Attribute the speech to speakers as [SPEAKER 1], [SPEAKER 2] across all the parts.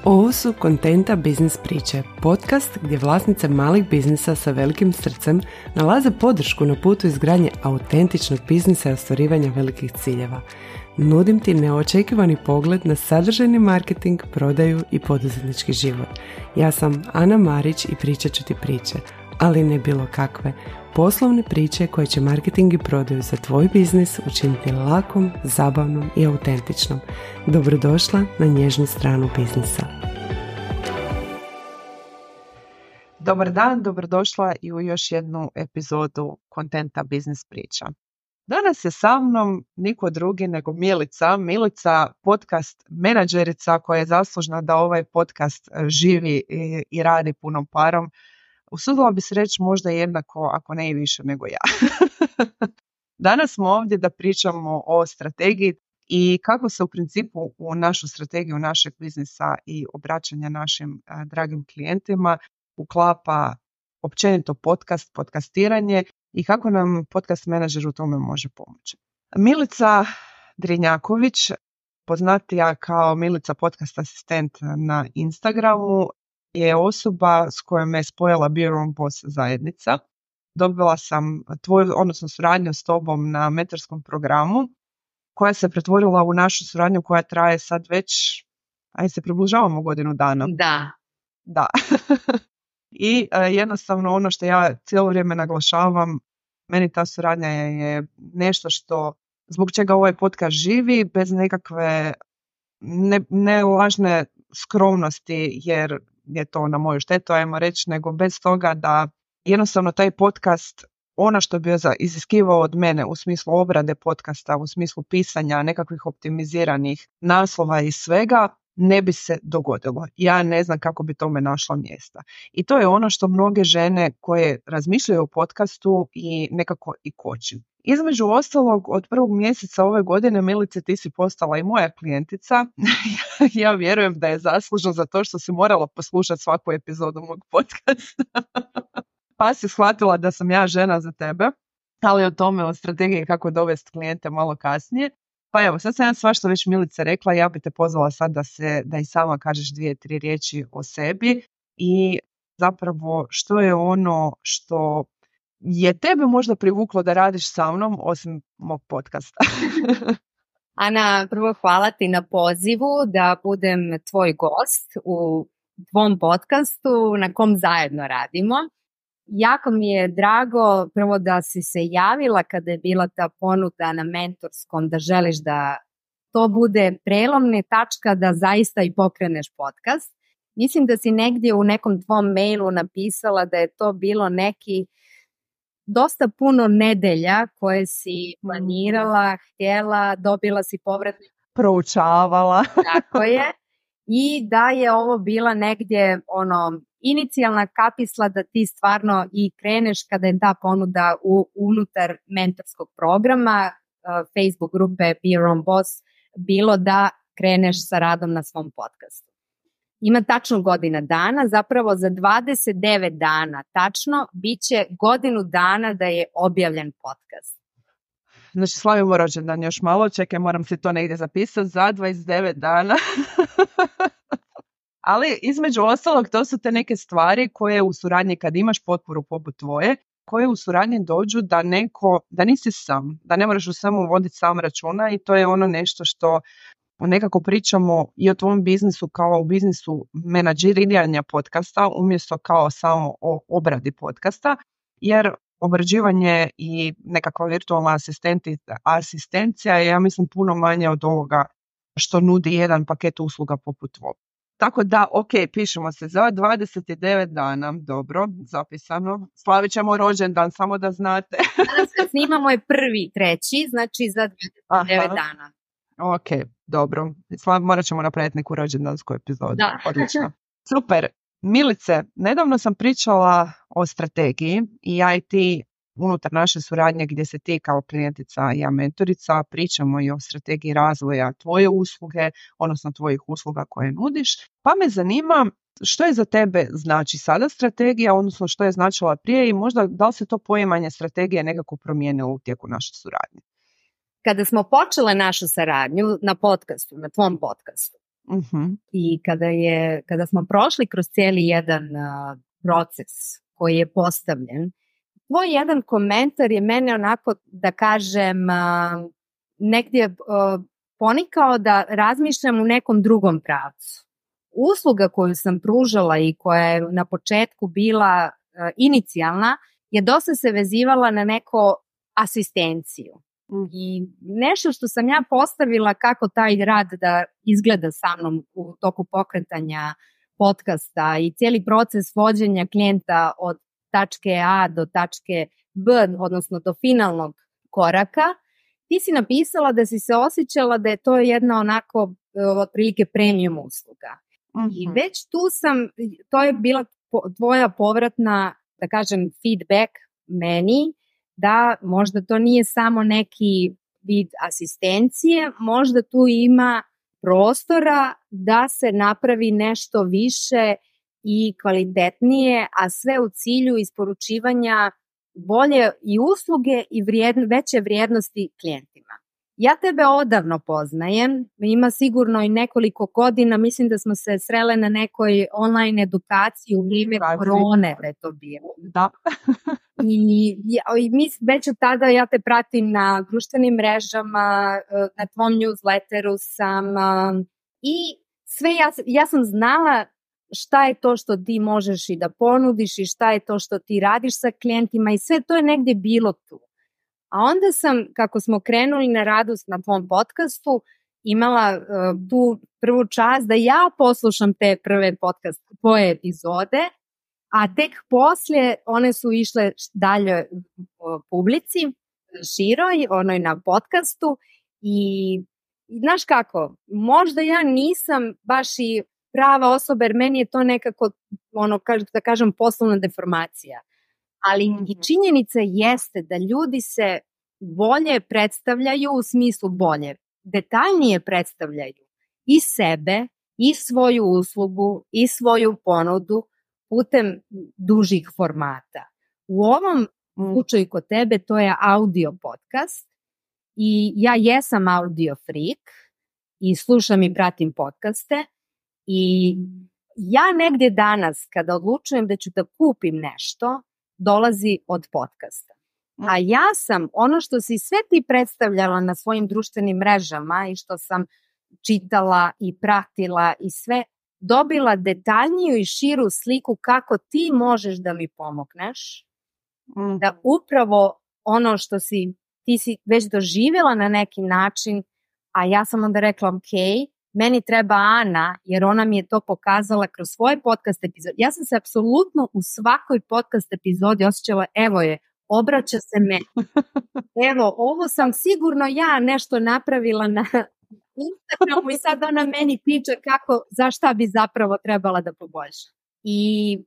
[SPEAKER 1] Ovo su Kontenta biznis priče, podcast gdje vlasnice malih biznisa sa velikim srcem nalaze podršku na putu izgradnje autentičnog biznisa i ostvarivanja velikih ciljeva. Nudim ti neočekivani pogled na sadržajni marketing, prodaju i poduzetnički život. Ja sam Ana Marić i pričat ću ti priče, ali ne bilo kakve. Poslovne priče koje će marketing i prodaju za tvoj biznis učiniti lakom, zabavnom i autentičnom. Dobrodošla na nježnu stranu biznisa.
[SPEAKER 2] Dobar dan, dobrodošla i u još jednu epizodu Kontenta biznis priča. Danas je sa mnom niko drugi nego Milica, podcast menadžerica koja je zaslužna da ovaj podcast živi i radi punom parom. Usudila bi se reći možda jednako, ako ne i više nego ja. Danas smo ovdje da pričamo o strategiji i kako se u principu u našu strategiju našeg biznisa i obraćanja našim dragim klijentima uklapa općenito podcastiranje i kako nam podcast menadžer u tome može pomoći. Milica Drinjaković, poznatija kao Milica podcast asistent na Instagramu, je osoba s kojom me spojila Be Your Own Boss zajednica. Dobila sam suradnju s tobom na mentorskom programu koja se pretvorila u našu suradnju koja traje sad već, se približavamo godinu dana. Da. I jednostavno ono što ja cijelo vrijeme naglašavam, meni ta suradnja je nešto što, zbog čega ovaj podcast živi, bez nekakve ne lažne skromnosti, jer je to na moju štetu, ajmo reći, nego bez toga da jednostavno taj podcast, ono što bi iziskivao od mene u smislu obrade podcasta, u smislu pisanja nekakvih optimiziranih naslova i svega, ne bi se dogodilo. Ja ne znam kako bi tome našla mjesta. I to je ono što mnoge žene koje razmišljaju o podcastu i nekako i koči. Između ostalog, od 1. mjeseca ove godine, Milice, ti si postala i moja klijentica. Ja vjerujem da je zaslužno za to što si morala poslušati svaku epizodu mog podcasta. Pa si shvatila da sam ja žena za tebe, ali o tome, o strategiji kako dovesti klijente malo kasnije. Pa evo, sad sam ja svašta već Milice rekla, ja bi te pozvala sad da i sama kažeš 2-3 riječi o sebi i zapravo što je ono što je tebe možda privuklo da radiš sa mnom osim mog podcasta.
[SPEAKER 3] Ana, prvo hvala ti na pozivu da budem tvoj gost u tvom podcastu na kom zajedno radimo. Jako mi je drago prvo da si se javila kada je bila ta ponuda na mentorskom, da želiš da to bude prelomna tačka da zaista i pokreneš podcast. Mislim da si negdje u nekom tvom mailu napisala da je to bilo neki dosta puno nedelja koje si planirala, htjela, dobila si povratne.
[SPEAKER 2] Proučavala.
[SPEAKER 3] Tako je. I da je ovo bila negdje inicijalna kapisla da ti stvarno i kreneš kada je ta ponuda unutar mentorskog programa Facebook grupe Be Your Own Boss bilo da kreneš sa radom na svom podcastu. Ima tačno godina dana, zapravo za 29 dana tačno bit će godinu dana da je objavljen podcast.
[SPEAKER 2] Znači slavimo rođendan još malo, čekaj, moram si to negdje zapisati, za 29 dana. Ali između ostalog to su te neke stvari koje u suradnji kad imaš potporu poput tvoje, koje u suradnji dođu da nisi sam, da ne moraš u svemu voditi sam računa i to je ono nešto što nekako pričamo i o tvom biznisu kao u biznisu menadžiranja podcasta umjesto kao samo o obradi podcasta, jer obrađivanje i nekakva virtualna asistencija je, ja mislim, puno manje od ovoga što nudi jedan paket usluga poput tvoj. Tako da, pišemo se za 29 dana, dobro, zapisano. Slavit ćemo rođendan, samo da znate.
[SPEAKER 3] Danas kad snimamo je 1.3., znači za 29 dana.
[SPEAKER 2] Ok, dobro. Morat ćemo napraviti neku rođendansku epizodu.
[SPEAKER 3] Da.
[SPEAKER 2] Odlično. Super. Milice, nedavno sam pričala o strategiji i ja i ti unutar naše suradnje gdje se ti kao klijentica i ja mentorica pričamo i o strategiji razvoja tvoje usluge, odnosno tvojih usluga koje nudiš. Pa me zanima što je za tebe znači sada strategija, odnosno što je značila prije i možda da li se to poimanje strategije nekako promijenilo u tijeku naše suradnje?
[SPEAKER 3] Kada smo počele našu saradnju na podcastu, na tvom podcastu, I kada smo prošli kroz cijeli jedan proces koji je postavljen, tvoj jedan komentar je mene onako, da kažem, negdje ponikao da razmišljam u nekom drugom pravcu. Usluga koju sam pružala i koja je na početku bila inicijalna je dosta se vezivala na neko asistenciju. I nešto što sam ja postavila kako taj rad da izgleda sa mnom u toku pokretanja podcasta i cijeli proces vođenja klijenta od tačke A do tačke B, odnosno do finalnog koraka, ti si napisala da si se osjećala da je to jedna onako otprilike premium usluga. I već tu to je bila tvoja povratna, da kažem, feedback meni, da možda to nije samo neki vid asistencije, možda tu ima prostora da se napravi nešto više i kvalitetnije, a sve u cilju isporučivanja bolje i usluge i veće vrijednosti klijentima. Ja tebe odavno poznajem, ima sigurno i nekoliko godina, mislim da smo se srele na nekoj online edukaciji u vrijeme korone, da je to bilo.
[SPEAKER 2] Da.
[SPEAKER 3] I već od tada ja te pratim na društvenim mrežama, na tvom newsletteru sam i sve ja sam znala šta je to što ti možeš i da ponudiš i šta je to što ti radiš sa klijentima i sve to je negdje bilo tu. A onda sam, kako smo krenuli na radu na tvom podcastu, imala tu prvu čast da ja poslušam te prve tvoje epizode, a tek poslije one su išle dalje publici, široj, onoj na podcastu i znaš kako, možda ja nisam baš i prava osoba jer meni je to nekako, da kažem, poslovna deformacija. Ali i činjenica jeste da ljudi se bolje predstavljaju u smislu bolje, detaljnije predstavljaju i sebe, i svoju uslugu, i svoju ponudu putem dužih formata. U ovom slučaju kod tebe to je audio podcast i ja jesam audio freak i slušam i pratim podcaste i ja negdje danas kada odlučujem da ću da kupim nešto, dolazi od podcasta. A ja sam ono što si sve ti predstavljala na svojim društvenim mrežama i što sam čitala i pratila i sve, dobila detaljniju i širu sliku kako ti možeš da mi pomogneš, da upravo ono što ti si već doživjela na neki način, a ja sam onda rekla ok, meni treba Ana, jer ona mi je to pokazala kroz svoje podcast epizode. Ja sam se apsolutno u svakoj podcast epizodi osjećala, evo je, obraća se meni. Evo, ovo sam sigurno ja nešto napravila na Instagramu i sad ona meni priča za šta bi zapravo trebala da poboljša. I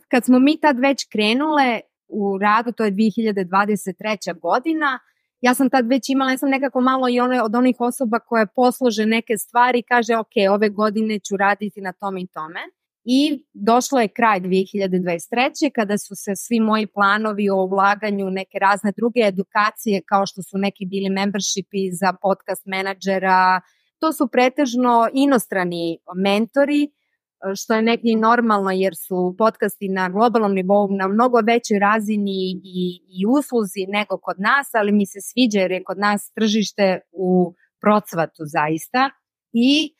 [SPEAKER 3] kad smo mi tad već krenule u radu, to je 2023. godina, ja sam tad već imala, ja sam nekako malo i od onih osoba koje poslože neke stvari i kaže ok, ove godine ću raditi na tom i tome. I došlo je kraj 2023. kada su se svi moji planovi o ulaganju neke razne druge edukacije kao što su neki bili membershipi za podcast menadžera, to su pretežno inostrani mentori, što je negdje normalno jer su podcasti na globalnom nivou na mnogo većoj razini i usluzi nego kod nas, ali mi se sviđa jer je kod nas tržište u procvatu zaista. I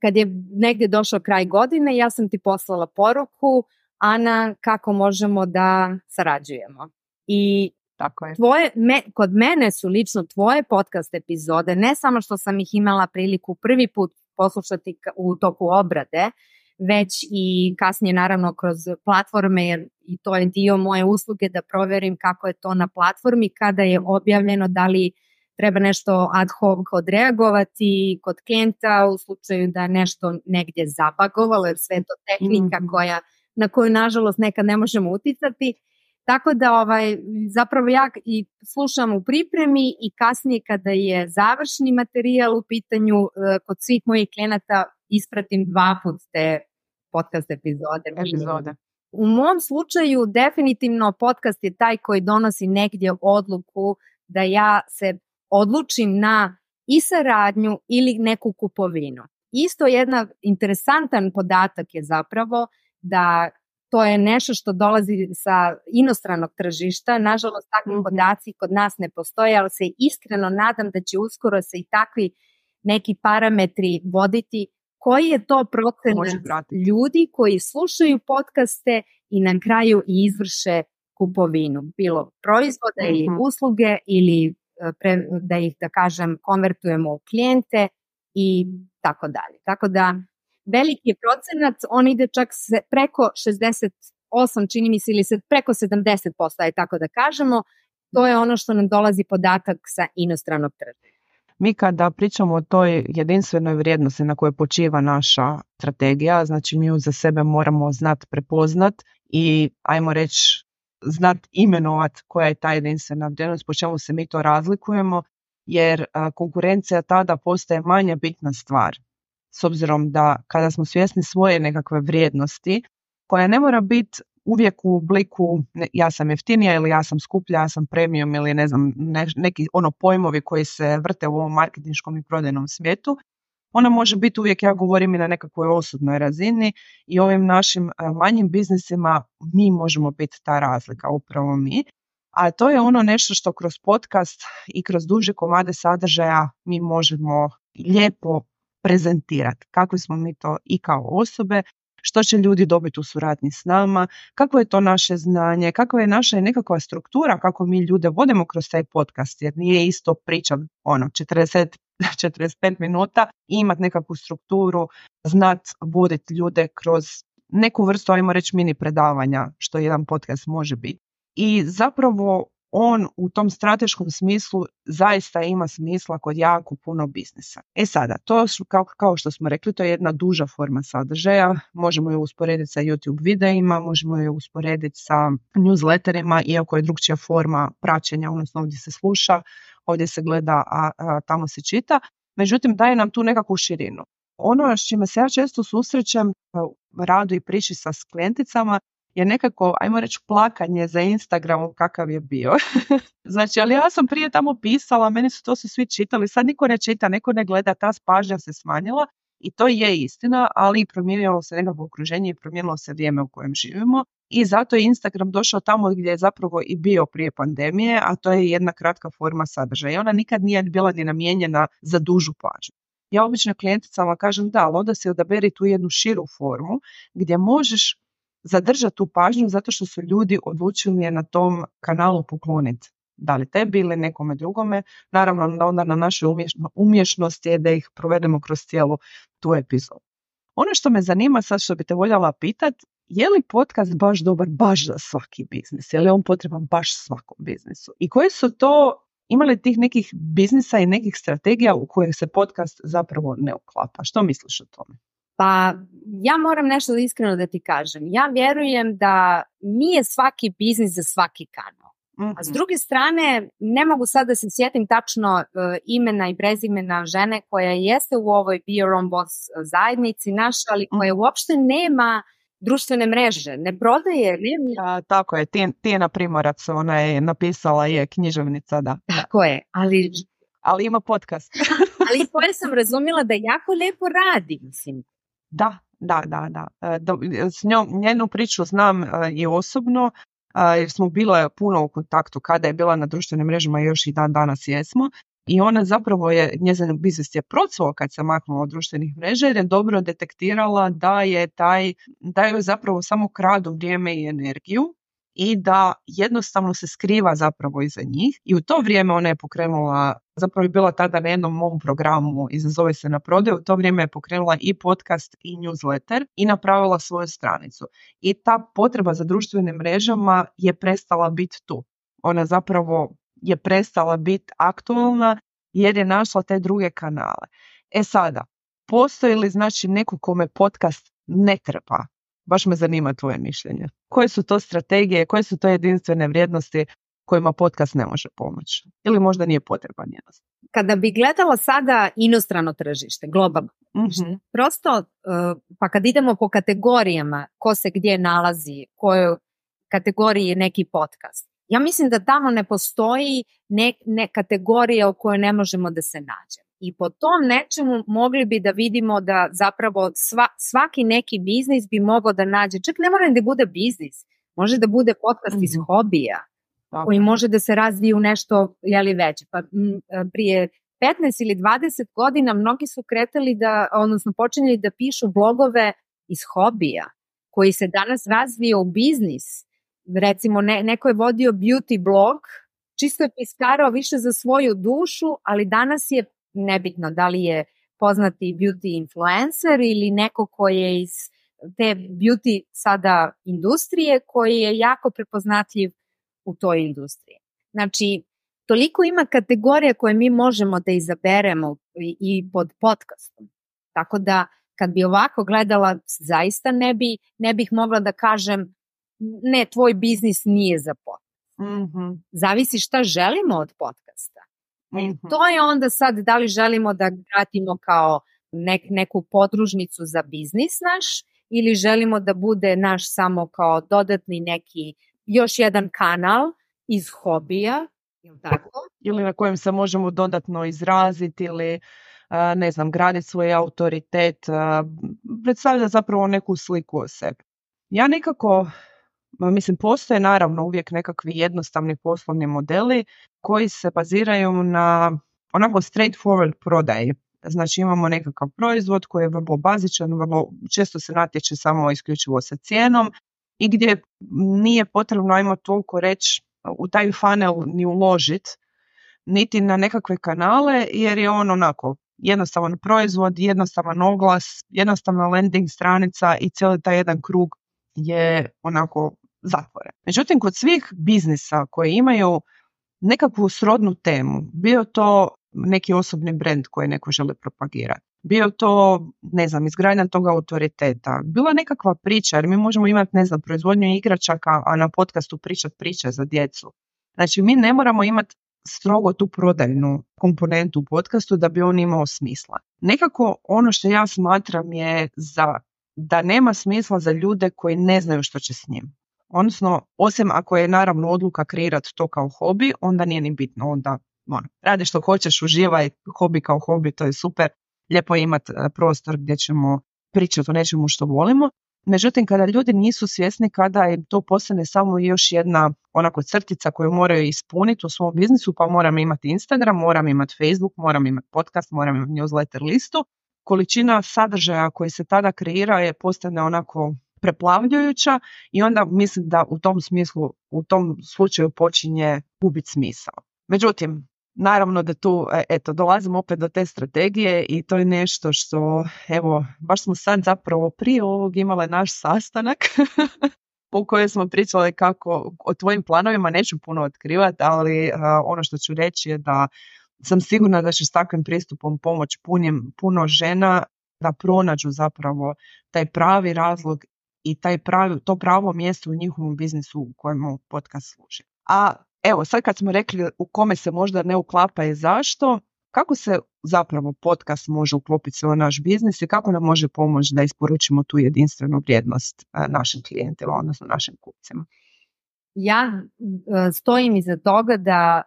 [SPEAKER 3] kad je negdje došao kraj godine, ja sam ti poslala poruku, Ana, kako možemo da sarađujemo. I
[SPEAKER 2] tako je.
[SPEAKER 3] Kod mene su lično tvoje podcast epizode, ne samo što sam ih imala priliku prvi put poslušati u toku obrade, već i kasnije naravno kroz platforme, jer i to je dio moje usluge da provjerim kako je to na platformi, kada je objavljeno, da li treba nešto ad hoc odreagovati kod klijenta u slučaju da nešto negdje zabagovalo, jer sve je to tehnika na koju nažalost nekad ne možemo uticati. Tako da zapravo ja i slušam u pripremi i kasnije kada je završni materijal u pitanju kod svih mojih klijenata ispratim 2 put te podcast epizode. U mom slučaju definitivno podcast je taj koji donosi negdje odluku da ja se odlučim na i saradnju ili neku kupovinu. isto jedan interesantan podatak je zapravo da to je nešto što dolazi sa inostranog tržišta. Nažalost, takvi podaci kod nas ne postoje, ali se iskreno nadam da će uskoro se i takvi neki parametri voditi. Koji je to procenat ljudi koji slušaju podcaste i na kraju i izvrše kupovinu, bilo proizvoda ili usluge ili da ih, da kažem, konvertujemo u klijente i tako dalje. Tako da veliki procenat, on ide čak preko 68, čini mi se, ili preko 70%, aj tako da kažemo. To je ono što nam dolazi podatak sa inostranog tržišta.
[SPEAKER 2] Mi kada pričamo o toj jedinstvenoj vrijednosti na kojoj počiva naša strategija, znači mi ju za sebe moramo znati prepoznat i ajmo reći znat imenovat koja je ta jedinstvena vrijednost, po čemu se mi to razlikujemo, jer konkurencija tada postaje manje bitna stvar. S obzirom da kada smo svjesni svoje nekakve vrijednosti, koja ne mora biti uvijek u obliku ja sam jeftinija ili ja sam skuplja, ja sam premium ili ne znam, neki pojmovi koji se vrte u ovom marketinškom i prodajnom svijetu, ona može biti uvijek, ja govorim, i na nekakvoj osobnoj razini i ovim našim manjim biznisima mi možemo biti ta razlika, upravo mi. A to je nešto što kroz podcast i kroz duže komade sadržaja mi možemo lijepo prezentirati. Kakvi smo mi to i kao osobe, što će ljudi dobiti u suradnji s nama, kako je to naše znanje, kakva je naša nekakva struktura, kako mi ljude vodimo kroz taj podcast, jer nije isto priča 45 minuta i imati nekakvu strukturu, znat voditi ljude kroz neku vrstu, ajmo reći, mini predavanja, što jedan podcast može biti. I zapravo on u tom strateškom smislu zaista ima smisla kod jako puno biznisa. Sada, to kao što smo rekli, to je jedna duža forma sadržaja, možemo ju usporediti sa YouTube videima, možemo ju usporediti sa newsletterima, iako je drugčija forma praćenja, odnosno ovdje se sluša, ovdje se gleda, a tamo se čita, međutim daje nam tu nekakvu širinu. Ono s čime se ja često susrećem u radu i priči sa klijenticama je nekako, ajmo reći, plakanje za Instagramom kakav je bio. Znači, ali ja sam prije tamo pisala, meni su to svi čitali, sad niko ne čita, niko ne gleda, ta pažnja se smanjila i to je istina, ali promijenilo se nekako okruženje i promijenilo se vrijeme u kojem živimo i zato je Instagram došao tamo gdje je zapravo i bio prije pandemije, a to je jedna kratka forma sadržaja i ona nikad nije bila ni namijenjena za dužu pažnju. Ja obično klijenticama kažem da, ali onda si odaberi tu jednu širu formu gdje možeš zadržati tu pažnju zato što su ljudi odlučili je na tom kanalu pokloniti. Da li tebi ili nekome drugome. Naravno, onda na našoj umješnosti je da ih provedemo kroz cijelu tu epizodu. Ono što me zanima sad, što bi te voljela pitati, je li podcast baš dobar baš za svaki biznis? Je li on potreban baš svakom biznisu? I koji su to, ima li tih nekih biznisa i nekih strategija u koje se podcast zapravo ne uklapa? Što misliš o tome?
[SPEAKER 3] Pa ja moram nešto iskreno da ti kažem. Ja vjerujem da nije svaki biznis za svaki kanal. A s druge strane, ne mogu sad da se sjetim tačno imena i prezimena žene koja jeste u ovoj Be Your Own Boss zajednici naša, ali koja uopšte nema društvene mreže, ne prodaje.
[SPEAKER 2] Tako je, Tijena Primorac, ona je napisala, je književnica, da.
[SPEAKER 3] Tako je,
[SPEAKER 2] ali ima podcast.
[SPEAKER 3] Ali koje sam razumjela da jako lijepo radi, mislim.
[SPEAKER 2] Da. S njenu priču znam i osobno, jer smo bile puno u kontaktu kada je bila na društvenim mrežama, još i dan danas jesmo. I ona zapravo njezin biznis je procvao kad se maknula od društvenih mreža, jer je dobro detektirala da joj zapravo samo kradu vrijeme i energiju i da jednostavno se skriva zapravo iza njih. I u to vrijeme ona je pokrenula, zapravo je bila tada na jednom mom programu, izazove se na prodaju, u to vrijeme je pokrenula i podcast i newsletter i napravila svoju stranicu. I ta potreba za društvenim mrežama je prestala biti tu. Ona zapravo je prestala biti aktualna jer je našla te druge kanale. Sada, postoji li znači neko kome podcast ne treba? Baš me zanima tvoje mišljenje. Koje su to strategije, koje su to jedinstvene vrijednosti kojima podcast ne može pomoći? Ili možda nije potreban jednostavno?
[SPEAKER 3] Kada bi gledala sada inostrano tržište, globalno tržište, prosto, pa kad idemo po kategorijama, ko se gdje nalazi, kojoj kategoriji je neki podcast, ja mislim da tamo ne postoji ne kategorija u kojoj ne možemo da se nađemo. I po tom nečemu mogli bi da vidimo da zapravo svaki neki biznis bi mogao da nađe, čak ne mora da bude biznis, može da bude podcast iz hobija, koji može da se razvije u nešto veće. Pa prije 15 ili 20 godina mnogi su počinjeli da pišu blogove iz hobija, koji se danas razvije u biznis. Recimo, neko je vodio beauty blog, čisto je piskarao više za svoju dušu, ali danas je nebitno da li je poznati beauty influencer ili neko koji je iz te beauty sada industrije, koji je jako prepoznatljiv u toj industriji. Znači, toliko ima kategorija koje mi možemo da izaberemo i pod podcastom. Tako da, kad bi ovako gledala, zaista ne bih mogla da kažem ne, tvoj biznis nije za podcast. Zavisi šta želimo od podcasta. To je onda sad da li želimo da gradimo kao neku podružnicu za biznis naš ili želimo da bude naš samo kao dodatni neki još jedan kanal iz hobija, tako?
[SPEAKER 2] Ili na kojem se možemo dodatno izraziti ili graditi svoj autoritet, predstavlja zapravo neku sliku o sebi. Ja nekako, postoje naravno uvijek nekakvi jednostavni poslovni modeli koji se baziraju na onako straightforward prodaji. Znači imamo nekakav proizvod koji je vrlo bazičan, vrlo često se natječe samo isključivo sa cijenom i gdje nije potrebno, ajmo toliko reći, u taj funnel ni uložiti, niti na nekakve kanale, jer je on onako jednostavan proizvod, jednostavan oglas, jednostavna landing stranica i cijeli taj jedan krug je onako zatvoren. Međutim, kod svih biznisa koji imaju nekakvu srodnu temu, bio to neki osobni brand koji neko želi propagirati, bio to, izgradnja tog autoriteta, bila nekakva priča, jer mi možemo imati, proizvodnju igračaka, a na podcastu pričati priče za djecu. Znači, mi ne moramo imati strogo tu prodajnu komponentu u podcastu da bi on imao smisla. Nekako ono što ja smatram je da nema smisla za ljude koji ne znaju što će s njim. Odnosno, osim ako je naravno odluka kreirati to kao hobi, onda nije ni bitno, onda radi što hoćeš, uživaj, hobi kao hobi, to je super, lijepo je imati prostor gdje ćemo pričati o nečemu što volimo. Međutim, kada ljudi nisu svjesni, kada im to postane samo još jedna onako crtica koju moraju ispuniti u svom biznisu, pa moram imati Instagram, moram imati Facebook, moram imati podcast, moram imati newsletter listu, količina sadržaja koji se tada kreira je postane onako preplavljujuća i onda mislim da u tom slučaju počinje gubiti smisao. Međutim, naravno da tu dolazimo opet do te strategije i to je nešto što, baš smo sad zapravo prije ovog imale naš sastanak po kojem smo pričali kako o tvojim planovima neću puno otkrivati, ali ono što ću reći je da sam sigurna da će s takvim pristupom pomoći puno žena da pronađu zapravo taj pravi razlog i to pravo mjesto u njihovom biznisu u kojemu podcast služi. A evo, sad kad smo rekli u kome se možda ne uklapa i zašto, kako se zapravo podcast može uklopiti u naš biznis i kako nam može pomoći da isporučimo tu jedinstvenu vrijednost našim klijentima, odnosno našim kupcima?
[SPEAKER 3] Ja stojim iza toga da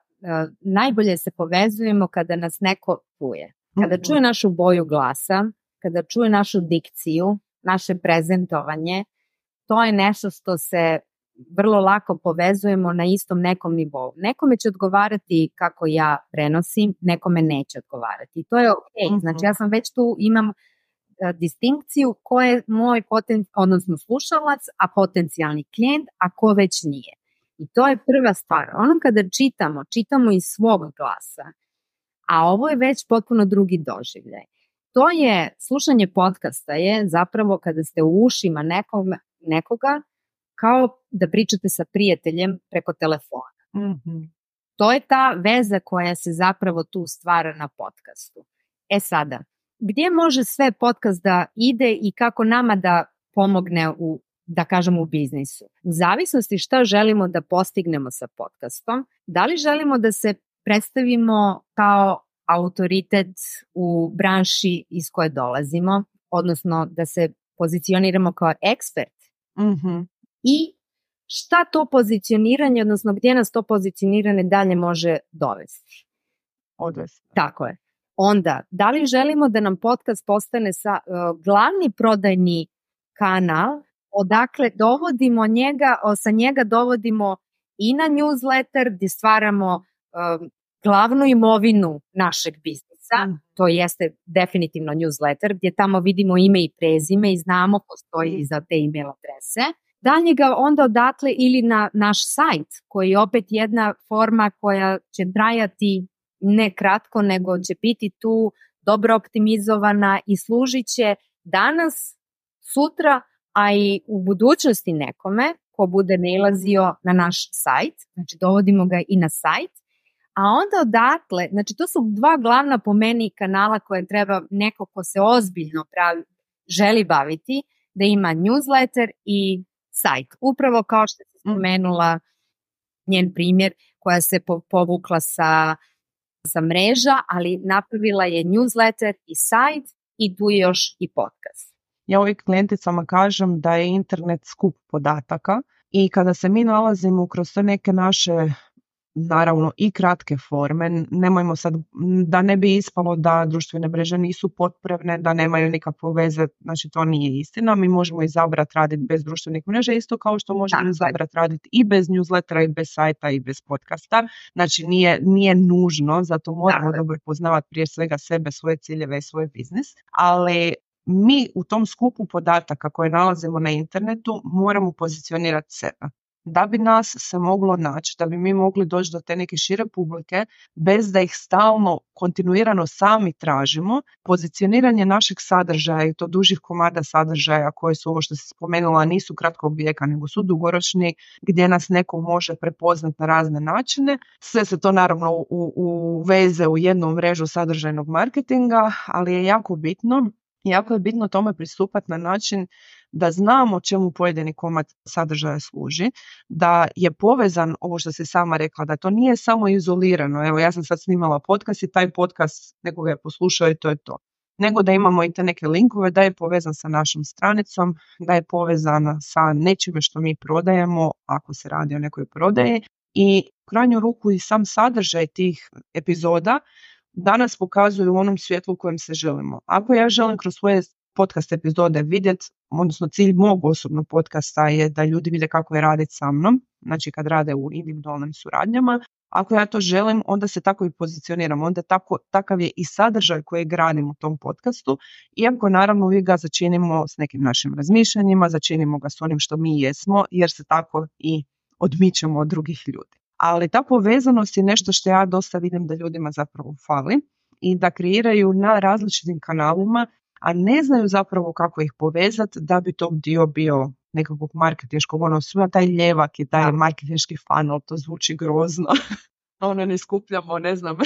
[SPEAKER 3] najbolje se povezujemo kada nas neko čuje. Kada čuje našu boju glasa, kada čuje našu dikciju, naše prezentovanje, to je nešto što se vrlo lako povezujemo na istom nekom nivou. Nekome će odgovarati kako ja prenosim, nekome neće odgovarati. I to je ok. Znači ja sam već tu imam distinkciju ko je moj odnosno slušalac, a potencijalni klijent, a ko već nije. I to je prva stvar. Ono kada čitamo iz svog glasa, a ovo je već potpuno drugi doživljaj. To je, slušanje podcasta je zapravo kada ste u ušima nekoga kao da pričate sa prijateljem preko telefona. To je ta veza koja se zapravo tu stvara na podcastu. Sada, gdje može sve podcast da ide i kako nama da pomogne u biznisu? U zavisnosti šta želimo da postignemo sa podcastom, da li želimo da se predstavimo kao autoritet u branši iz koje dolazimo, odnosno da se pozicioniramo kao ekspert. I šta to pozicioniranje, odnosno gdje nas to pozicioniranje dalje može dovesti?
[SPEAKER 2] Odvesti.
[SPEAKER 3] Tako je. Onda, da li želimo da nam podcast postane glavni prodajni kanal, odakle dovodimo sa njega dovodimo i na newsletter gdje stvaramo glavnu imovinu našeg biznisa, to jeste definitivno newsletter gdje tamo vidimo ime i prezime i znamo ko stoji iza te email adrese. Dalje ga onda odatle ili na naš sajt koji je opet jedna forma koja će trajati ne kratko, nego će biti tu dobro optimizovana i služit će danas, sutra, a i u budućnosti nekome ko bude nailazio na naš sajt, znači dovodimo ga i na sajt, a onda odatle, znači to su dva glavna po meni kanala koje treba neko ko se ozbiljno želi baviti, da ima newsletter i sajt. Upravo kao što si spomenula njen primjer koja se povukla sa mreža, ali napravila je newsletter i sajt i tu je još i podcast.
[SPEAKER 2] Ja uvijek klijenticama kažem da je internet skup podataka i kada se mi nalazimo kroz te neke naše, naravno i kratke forme, nemojmo sad, da ne bi ispalo da društvene mreže nisu potrebne, da nemaju nikakve veze, znači to nije istina, mi možemo izabrati raditi bez društvenih mreža, isto kao što možemo izabrati raditi i bez newslettera, i bez sajta, i bez podcasta, znači nije nužno, zato moramo dobro poznavati prije svega sebe, svoje ciljeve i svoj biznis, ali mi u tom skupu podataka koje nalazimo na internetu moramo pozicionirati sebe. Da bi nas se moglo naći, da bi mi mogli doći do te neke šire publike bez da ih stalno, kontinuirano sami tražimo, pozicioniranje našeg sadržaja i to dužih komada sadržaja koje su, ovo što si spomenula, nisu kratkog vijeka nego su dugoročni, gdje nas neko može prepoznati na razne načine. Sve se to naravno uveze u jednu mrežu sadržajnog marketinga, ali je jako je bitno tome pristupati na način da znamo čemu pojedini komad sadržaja služi, da je povezan, ovo što si sama rekla, da to nije samo izolirano. Evo, ja sam sad snimala podcast i taj podcast nekoga je poslušao i to je to. Nego da imamo i te neke linkove, da je povezan sa našom stranicom, da je povezan sa nečime što mi prodajemo, ako se radi o nekoj prodaji. I u krajnju ruku i sam sadržaj tih epizoda danas pokazuju u onom svjetlu u kojem se želimo. Ako ja želim kroz svoje podcast epizode vidjeti, odnosno cilj mog osobnog podcasta je da ljudi vide kako je raditi sa mnom, znači kad rade u individualnim suradnjama. Ako ja to želim, onda se tako i pozicioniram, onda takav je i sadržaj koji gradim u tom podcastu, iako naravno uvijek ga začinimo s nekim našim razmišljanjima, začinimo ga s onim što mi jesmo, jer se tako i odmičemo od drugih ljudi. Ali ta povezanost je nešto što ja dosta vidim da ljudima zapravo fali i da kreiraju na različitim kanalima, a ne znaju zapravo kako ih povezati da bi to dio bio nekakvog marketinškog, sve taj ljevak i taj marketinški funnel, to zvuči grozno. Ne skupljamo, ne znam,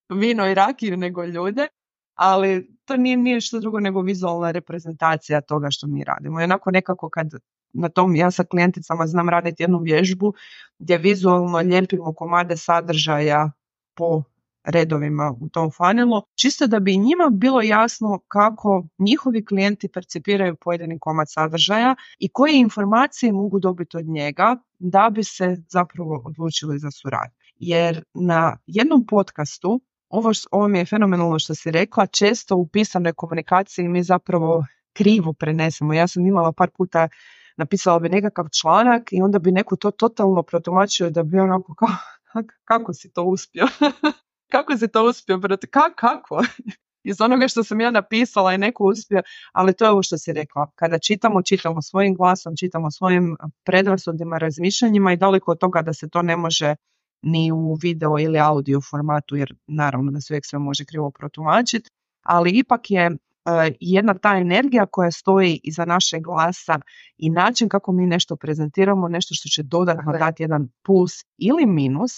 [SPEAKER 2] vino i rakiju nego ljude, ali to nije što drugo nego vizualna reprezentacija toga što mi radimo. I onako nekako kad na tom, ja sa klijenticama znam raditi jednu vježbu gdje vizualno lijepimo komade sadržaja po redovima u tom funnelu, čisto da bi njima bilo jasno kako njihovi klijenti percipiraju pojedini komad sadržaja i koje informacije mogu dobiti od njega da bi se zapravo odlučili za suradnju. Jer na jednom podcastu, ovo mi je fenomenalno što si rekla, često u pisanoj komunikaciji mi zapravo krivo prenesemo. Ja sam imala par puta, napisala bi nekakav članak i onda bi neko to totalno protumačio da bi onako kako si to uspio? Kako si to uspio? Kako? Iz onoga što sam ja napisala je neko uspio, ali to je ovo što si rekla. Kada čitamo svojim glasom, čitamo svojim predrasudima, razmišljanjima i daleko od toga da se to ne može ni u video ili audio formatu, jer naravno da se uvijek sve može krivo protumačiti, ali ipak je jedna ta energija koja stoji iza našeg glasa i način kako mi nešto prezentiramo, nešto što će dodatno dati jedan plus ili minus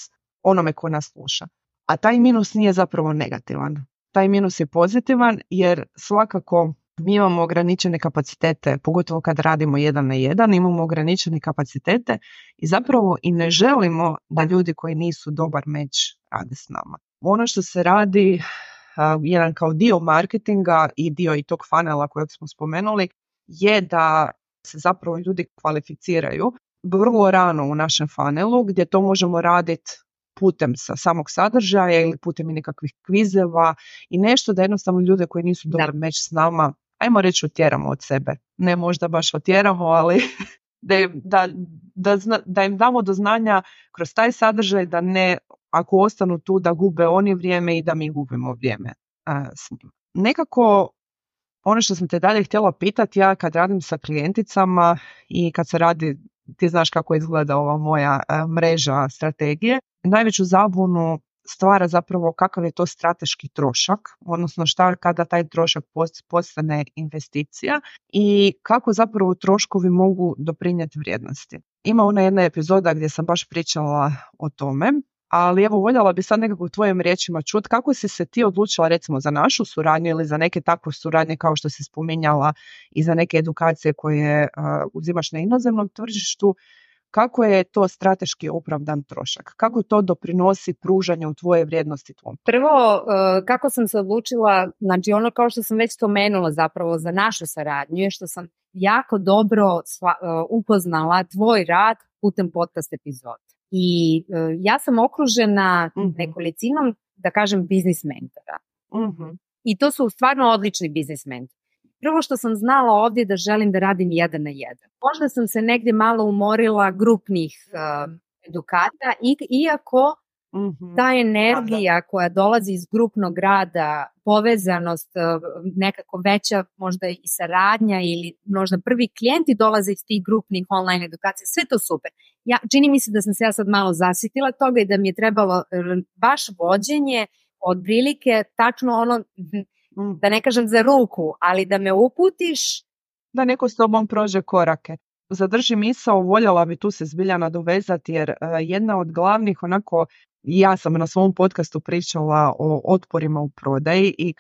[SPEAKER 2] onome ko nas sluša. A taj minus nije zapravo negativan. Taj minus je pozitivan jer svakako mi imamo ograničene kapacitete, pogotovo kad radimo 1 na 1, imamo ograničene kapacitete i zapravo i ne želimo da ljudi koji nisu dobar meč rade s nama. Ono što se radi, jedan kao dio marketinga i dio i tog funnela kojeg smo spomenuli, je da se zapravo ljudi kvalificiraju vrlo rano u našem funnelu, gdje to možemo raditi putem sa samog sadržaja ili putem nekakvih kvizeva i nešto da jednostavno ljude koji nisu dobro meč s nama, ajmo reći, otjeramo od sebe. Ne možda baš otjeramo, ali da im damo do znanja kroz taj sadržaj da ne, ako ostanu tu, da gube oni vrijeme i da mi gubimo vrijeme s njima. Nekako ono što sam te dalje htjela pitati, ja kad radim sa klijenticama i kad se radi, ti znaš kako izgleda ova moja mreža strategije, najveću zabunu stvara zapravo kakav je to strateški trošak, odnosno šta kada taj trošak postane investicija i kako zapravo troškovi mogu doprinijeti vrijednosti. Ima ona jedna epizoda gdje sam baš pričala o tome, ali evo voljela bi sad nekako u tvojim riječima čuti kako si se ti odlučila recimo za našu suradnju ili za neke takve suradnje kao što si spominjala i za neke edukacije koje uzimaš na inozemnom tržištu. Kako je to strateški opravdan trošak? Kako to doprinosi pružanju tvoje vrijednosti tvom?
[SPEAKER 3] Prvo, kako sam se odlučila, znači ono kao što sam već spomenula zapravo za našu saradnju je što sam jako dobro upoznala tvoj rad putem podcast epizoda. I ja sam okružena nekolicinom, da kažem, biznis mentora. I to su stvarno odlični biznis mentori. Prvo što sam znala ovdje da želim da radim 1 na 1. Možda sam se negdje malo umorila grupnih edukata, iako ta energija koja dolazi iz grupnog rada, povezanost, nekako veća možda i saradnja ili možda prvi klijenti dolaze iz tih grupnih online edukacija, sve to super. Čini mi se da sam se ja sad malo zasitila toga i da mi je trebalo baš vođenje od prilike, tačno ono, da ne kažem za ruku, ali da me uputiš.
[SPEAKER 2] Da neko s tobom prođe korake. Zadrži misao, voljela bi tu se zbilja nadovezati jer jedna od glavnih onako, ja sam na svom podcastu pričala o otporima u prodaji i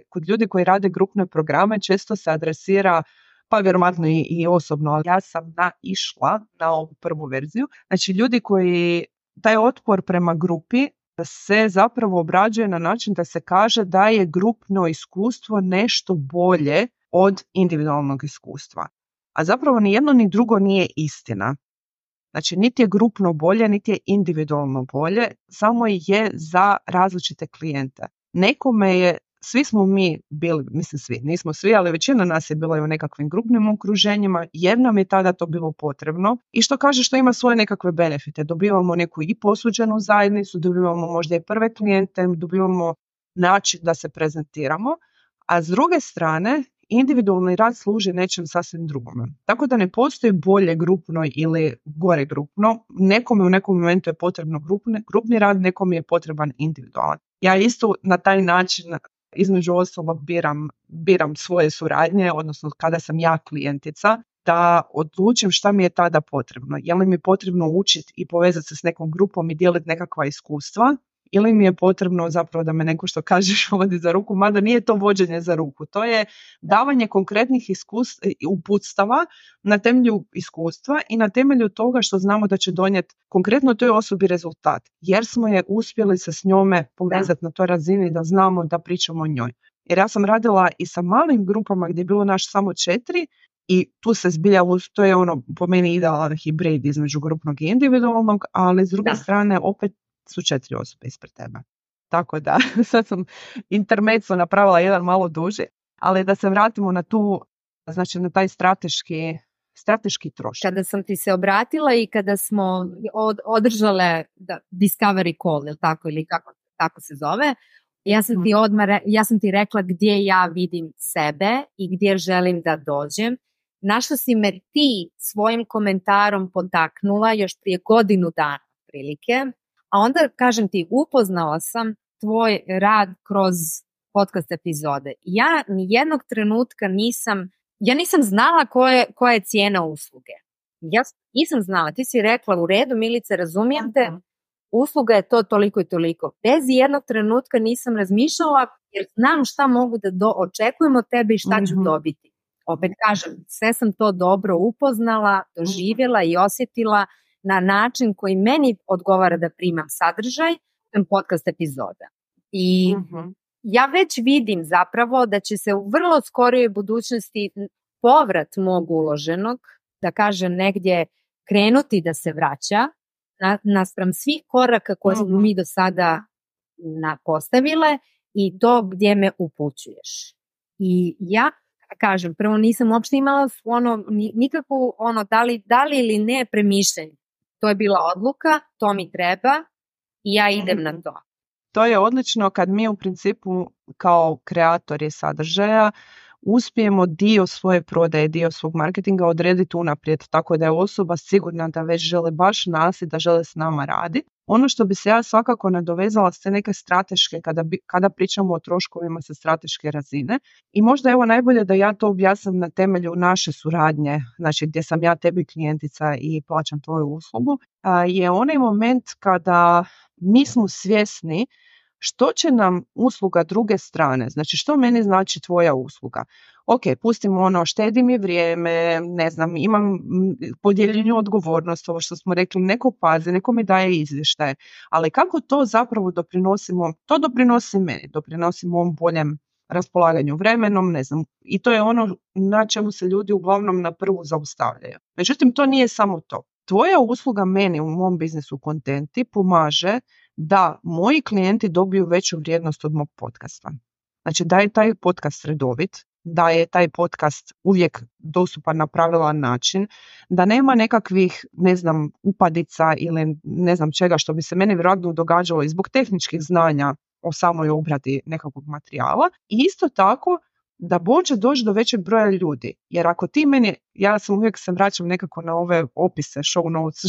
[SPEAKER 2] kod ljudi koji rade grupne programe često se adresira, pa vjerojatno i osobno, ali ja sam naišla na ovu prvu verziju. Znači ljudi koji, taj otpor prema grupi se zapravo obrađuje na način da se kaže da je grupno iskustvo nešto bolje od individualnog iskustva. A zapravo ni jedno ni drugo nije istina. Znači, niti je grupno bolje, niti je individualno bolje, samo je za različite klijente. Nekome je, svi smo mi bili, mislim svi, nismo svi, ali većina nas je bila u nekakvim grupnim okruženjima jer nam je tada to bilo potrebno i što kaže što ima svoje nekakve benefite. Dobivamo neku i posuđenu zajednicu, dobivamo možda i prve klijente, dobivamo način da se prezentiramo, a s druge strane individualni rad služi nečem sasvim drugome. Tako da ne postoji bolje grupno ili gore grupno. Nekome u nekom momentu je potrebno grupni rad, nekome je potreban individualan. Ja isto na taj način između ostalog biram svoje suradnje, odnosno kada sam ja klijentica, da odlučim šta mi je tada potrebno. Je li mi potrebno učiti i povezati se s nekom grupom i dijeliti nekakva iskustva, ili mi je potrebno zapravo da me neko što kažeš vodi za ruku, mada nije to vođenje za ruku. To je davanje konkretnih uputstava na temelju iskustva i na temelju toga što znamo da će donijeti konkretno toj osobi rezultat. Jer smo je uspjeli se s njome povezati na toj razini da znamo da pričamo o njoj. Jer ja sam radila i sa malim grupama gdje je bilo naš samo 4 i tu se zbilja, to je ono po meni idealan hibrid između grupnog i individualnog, ali s druge strane opet su 4 osobe ispred tebe. Tako da, sad sam intermezzo napravila jedan malo duži, ali da se vratimo na tu, znači na taj strateški trošak.
[SPEAKER 3] Kada sam ti se obratila i kada smo održale Discovery Call, ili tako, ili kako se zove, ja sam ti rekla gdje ja vidim sebe i gdje želim da dođem. Našla si me ti svojim komentarom potaknula još prije godinu dana prilike, a onda, kažem ti, upoznala sam tvoj rad kroz podcast epizode. Ja nijednog trenutka nisam znala koja je cijena usluge. Ja nisam znala, ti si rekla u redu, Milice, razumijem te, usluga je to toliko i toliko. Bez jednog trenutka nisam razmišljala jer znam šta mogu da očekujem od tebe i šta ću dobiti. Opet kažem, sve sam to dobro upoznala, doživjela i osjetila na način koji meni odgovara da primam sadržaj podcast epizoda. I ja već vidim zapravo da će se u vrlo skorijoj budućnosti povrat mog uloženog, da kažem negdje, krenuti da se vraća naspram svih koraka koje smo mi do sada postavile i to gdje me upućuješ. I ja kažem, prvo nisam uopšte imala nikakvu da li ili ne premišljanje. To je bila odluka, to mi treba i ja idem na to.
[SPEAKER 2] To je odlično kad mi u principu kao kreatori sadržaja uspijemo dio svoje prodaje, dio svog marketinga odrediti unaprijed, tako da je osoba sigurna da već žele baš nas i da žele s nama raditi. Ono što bi se ja svakako nadovezala s te neke strateške, kada pričamo o troškovima sa strateške razine, i možda evo najbolje da ja to objasnim na temelju naše suradnje, znači gdje sam ja tebi klijentica i plaćam tvoju uslugu, je onaj moment kada mi smo svjesni što će nam usluga druge strane, znači što meni znači tvoja usluga. Ok, pustimo štedi mi vrijeme, ne znam, imam podijeljenju odgovornost, ovo što smo rekli, neko pazi, neko mi daje izvještaje, ali kako to zapravo doprinosimo, to doprinosi meni, doprinosi mom boljem raspolaganju vremenom, ne znam, i to je ono na čemu se ljudi uglavnom na prvu zaustavljaju. Međutim, to nije samo to. Tvoja usluga meni u mom biznisu Kontenti pomaže da moji klijenti dobiju veću vrijednost od mog podcasta. Znači da je taj podcast redovit, da je taj podcast uvijek dostupan na pravilan način, da nema nekakvih, ne znam, upadica ili ne znam čega što bi se meni vjerojatno događalo i zbog tehničkih znanja o samoj obradi nekakvog materijala. I isto tako da može doći do većeg broja ljudi. Jer ako ti meni, ja sam uvijek se vraćam nekako na ove opise, show notes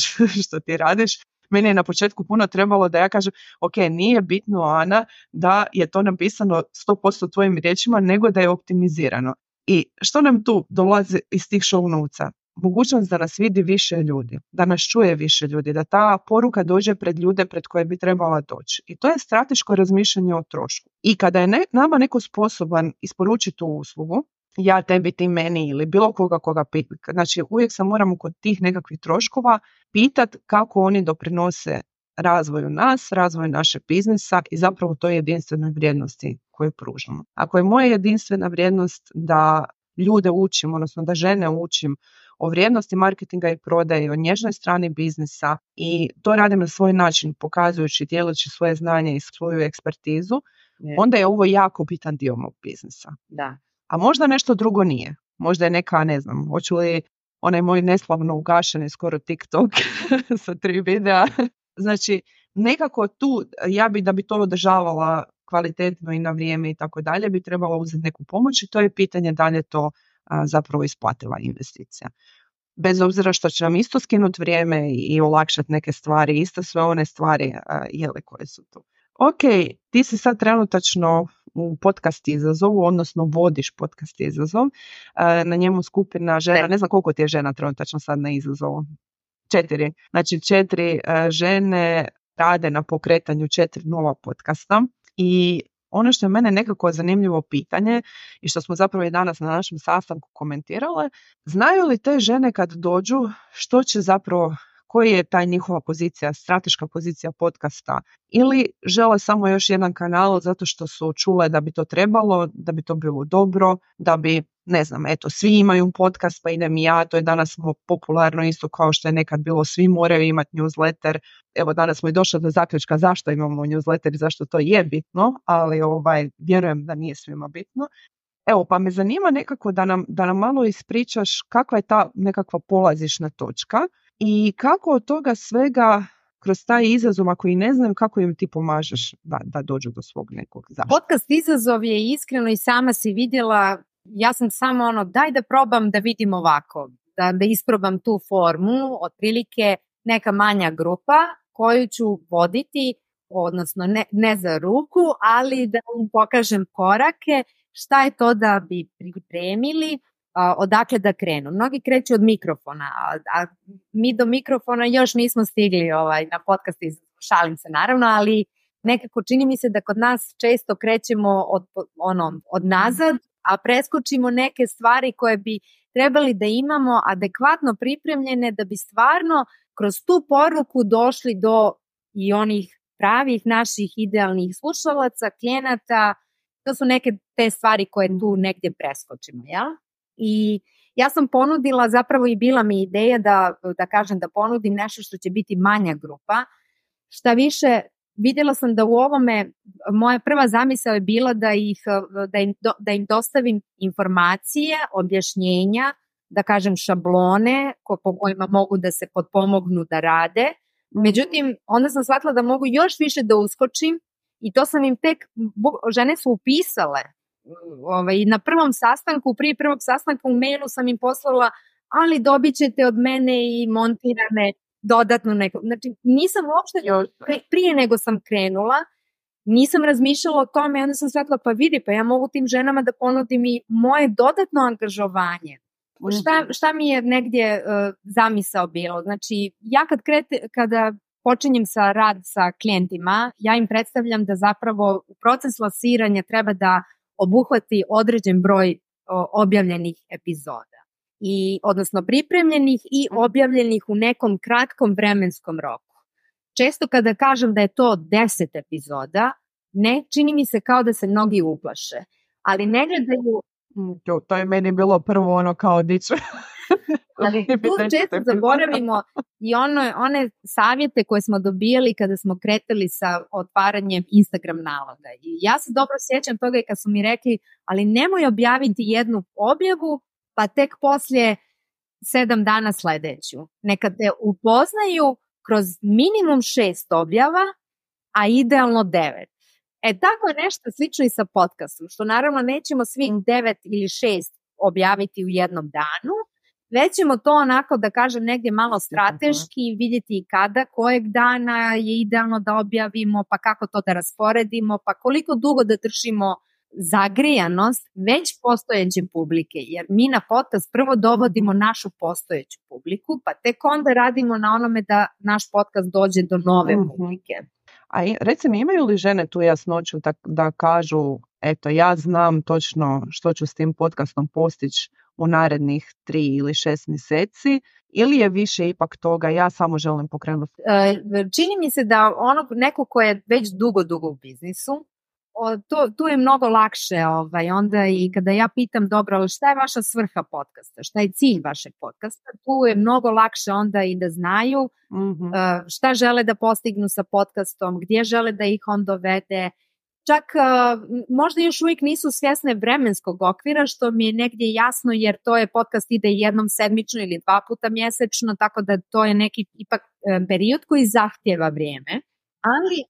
[SPEAKER 2] što ti radiš, meni je na početku puno trebalo da ja kažem, ok, nije bitno, Ana, da je to napisano 100% tvojim riječima, nego da je optimizirano. I što nam tu dolazi iz tih show notesa? Mogućnost da nas vidi više ljudi, da nas čuje više ljudi, da ta poruka dođe pred ljude pred koje bi trebala doći. I to je strateško razmišljanje o trošku. I kada je nama neko sposoban isporučiti tu uslugu, ja tebi, ti meni ili bilo koga pita. Znači uvijek se moramo kod tih nekakvih troškova pitati kako oni doprinose razvoju nas, razvoju našeg biznisa i zapravo toj jedinstvenoj vrijednosti koju pružamo. Ako je moja jedinstvena vrijednost da ljude učim, odnosno da žene učim o vrijednosti marketinga i prodaje, o nježnoj strani biznisa i to radim na svoj način, pokazujući, dijeleći svoje znanje i svoju ekspertizu, onda je ovo jako bitan dio mog biznisa.
[SPEAKER 3] Da.
[SPEAKER 2] A možda nešto drugo nije. Možda je neka, ne znam, hoću li onaj moj neslavno ugašeni skoro TikTok sa 3 videa. Znači, nekako tu, da bi to održavala kvalitetno i na vrijeme i tako dalje, bi trebala uzeti neku pomoć i to je pitanje da li je to zapravo isplativa investicija. Bez obzira što će nam isto skinuti vrijeme i olakšati neke stvari, isto sve one stvari koje su tu. Ok, ti si sad trenutačno u podcast izazovu, odnosno vodiš podcast izazov, na njemu skupina žena, ne znam koliko ti je žena trenutačno sad na izazovu. 4. Znači 4 žene rade na pokretanju 4 nova podcasta i ono što je mene nekako zanimljivo pitanje i što smo zapravo i danas na našem sastanku komentirale, znaju li te žene kad dođu što će zapravo, koji je taj njihova pozicija, strateška pozicija podcasta, ili žele samo još jedan kanal zato što su čule da bi to trebalo, da bi to bilo dobro, da bi, ne znam, eto, svi imaju podcast pa idem i ja, to je danas popularno isto kao što je nekad bilo, svi moraju imati newsletter. Evo danas smo i došli do zaključka zašto imamo newsletter i zašto to je bitno, ali vjerujem da nije svima bitno. Evo, pa me zanima nekako da nam malo ispričaš kakva je ta nekakva polazišna točka i kako od toga svega kroz taj izazov, ako i ne znam, kako im ti pomažeš da dođu do svog nekog zašto.
[SPEAKER 3] Podcast izazov je iskreno i sama si vidjela, ja sam samo daj da probam da vidim ovako, da isprobam tu formu, otprilike neka manja grupa koju ću voditi, odnosno ne za ruku, ali da im pokažem korake, šta je to da bi pripremili, odakle da krenu. Mnogi kreću od mikrofona, a mi do mikrofona još nismo stigli na podcast, šalim se naravno, ali nekako čini mi se da kod nas često krećemo od nazad, a preskočimo neke stvari koje bi trebali da imamo adekvatno pripremljene da bi stvarno kroz tu poruku došli do i onih pravih naših idealnih slušalaca, klijenata. To su neke te stvari koje tu negdje preskočimo, jel? I Ja sam ponudila, zapravo i bila mi ideja da kažem da ponudim nešto što će biti manja grupa. Šta više, vidjela sam da u ovome, moja prva zamisao je bila da im dostavim informacije, objašnjenja, da kažem šablone po kojima mogu da se potpomognu da rade. Međutim, onda sam shvatila da mogu još više da uskočim i to sam im žene su upisale. Na prvom sastanku, prije prvog sastanka u mailu sam im poslala, ali dobit ćete od mene i montirane dodatno neko. Znači, nisam uopšte, prije nego sam krenula, nisam razmišljala o tome, onda sam shvatila, pa vidi, pa ja mogu tim ženama da ponudim i moje dodatno angažovanje. Šta mi je negdje zamisao bilo? Znači, ja kada počinjem rad sa klijentima, ja im predstavljam da zapravo proces lansiranja treba da obuhvati određen broj objavljenih epizoda. Odnosno pripremljenih i objavljenih u nekom kratkom vremenskom roku. Često kada kažem da je to 10 epizoda, ne čini mi se kao da se mnogi uplaše, ali ne gledaju...
[SPEAKER 2] To je meni bilo prvo kao diču.
[SPEAKER 3] Ali tu često zaboravimo i one savjete koje smo dobijali kada smo kretali sa otvaranjem Instagram naloga. I ja se dobro sjećam toga i kad su mi rekli, ali nemoj objaviti jednu objavu, pa tek poslije 7 dana sljedeću. Neka te upoznaju kroz minimum 6 objava, a idealno 9. Tako je nešto slično i sa podcastom, što naravno nećemo svih 9 ili 6 objaviti u jednom danu, već ćemo to onako, da kažem, negdje malo strateški vidjeti kada, kojeg dana je idealno da objavimo, pa kako to da rasporedimo, pa koliko dugo da držimo zagrijanost već postojeće publike, jer mi na podcast prvo dovodimo našu postojeću publiku, pa tek onda radimo na onome da naš podcast dođe do nove publike.
[SPEAKER 2] A reci mi, imaju li žene tu jasnoću da kažu, eto, ja znam točno što ću s tim podcastom postići u narednih 3 ili 6 mjeseci, ili je više ipak toga, ja samo želim pokrenuti?
[SPEAKER 3] Čini mi se da neko ko je već dugo u biznisu, tu je mnogo lakše onda i kada ja pitam, dobro, ali šta je vaša svrha podcasta, šta je cilj vašeg podcasta, tu je mnogo lakše onda i da znaju šta žele da postignu sa podcastom, gdje žele da ih on dovede. Čak možda još uvijek nisu svjesne vremenskog okvira, što mi je negdje jasno, jer to je podcast ide jednom sedmično ili 2 puta mjesečno, tako da to je neki ipak period koji zahtjeva vrijeme, ali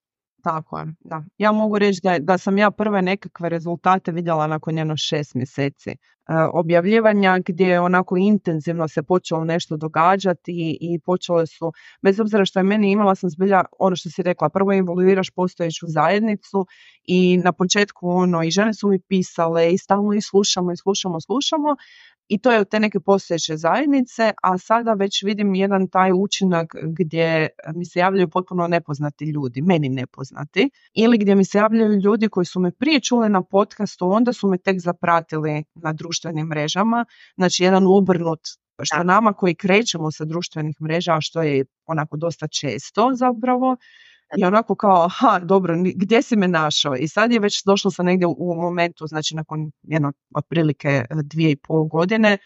[SPEAKER 2] tako je, da. Ja mogu reći da sam ja prve nekakve rezultate vidjela nakon 6 mjeseci objavljivanja, gdje onako intenzivno se počelo nešto događati i počele su, bez obzira što je meni, imala sam zbilja ono što si rekla, prvo involviraš postojeću zajednicu i na početku i žene su mi pisale i stalno ih slušamo i to je od te neke postojeće zajednice, a sada već vidim jedan taj učinak gdje mi se javljaju potpuno nepoznati ljudi, meni nepoznati, ili gdje mi se javljaju ljudi koji su me prije čuli na podcastu, onda su me tek zapratili na društvenim mrežama, znači jedan obrnut, što nama koji krećemo sa društvenih mreža, što je onako dosta često zapravo, i onako kao, dobro, gdje si me našao? I sad je već došlo sam negdje u momentu, znači nakon otprilike 2,5 godine,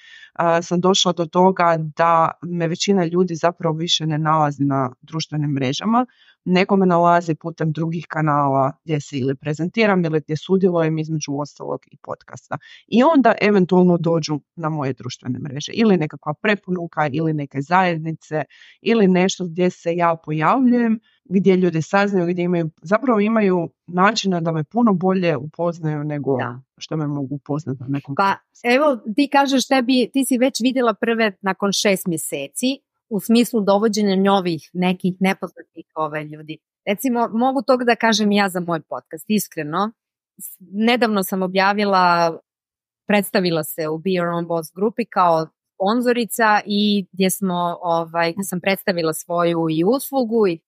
[SPEAKER 2] sam došla do toga da me većina ljudi zapravo više ne nalazi na društvenim mrežama, nego me nalazi putem drugih kanala gdje se ili prezentiram ili gdje sudjelujem, između ostalog i podcasta. I onda eventualno dođu na moje društvene mreže ili nekakva preporuka ili neke zajednice ili nešto gdje se ja pojavljujem, gdje ljudi saznaju, gdje imaju načina da me puno bolje upoznaju nego što me mogu upoznati na nekom.
[SPEAKER 3] Pa evo, ti kažeš ti si već vidjela prve nakon 6 mjeseci u smislu dovođenja novih nekih nepoznatih ljudi. Recimo, mogu toga da kažem ja za moj podcast, iskreno. Nedavno sam predstavila se u Be Your Own Boss grupi kao sponzorica i gdje sam predstavila svoju i uslugu i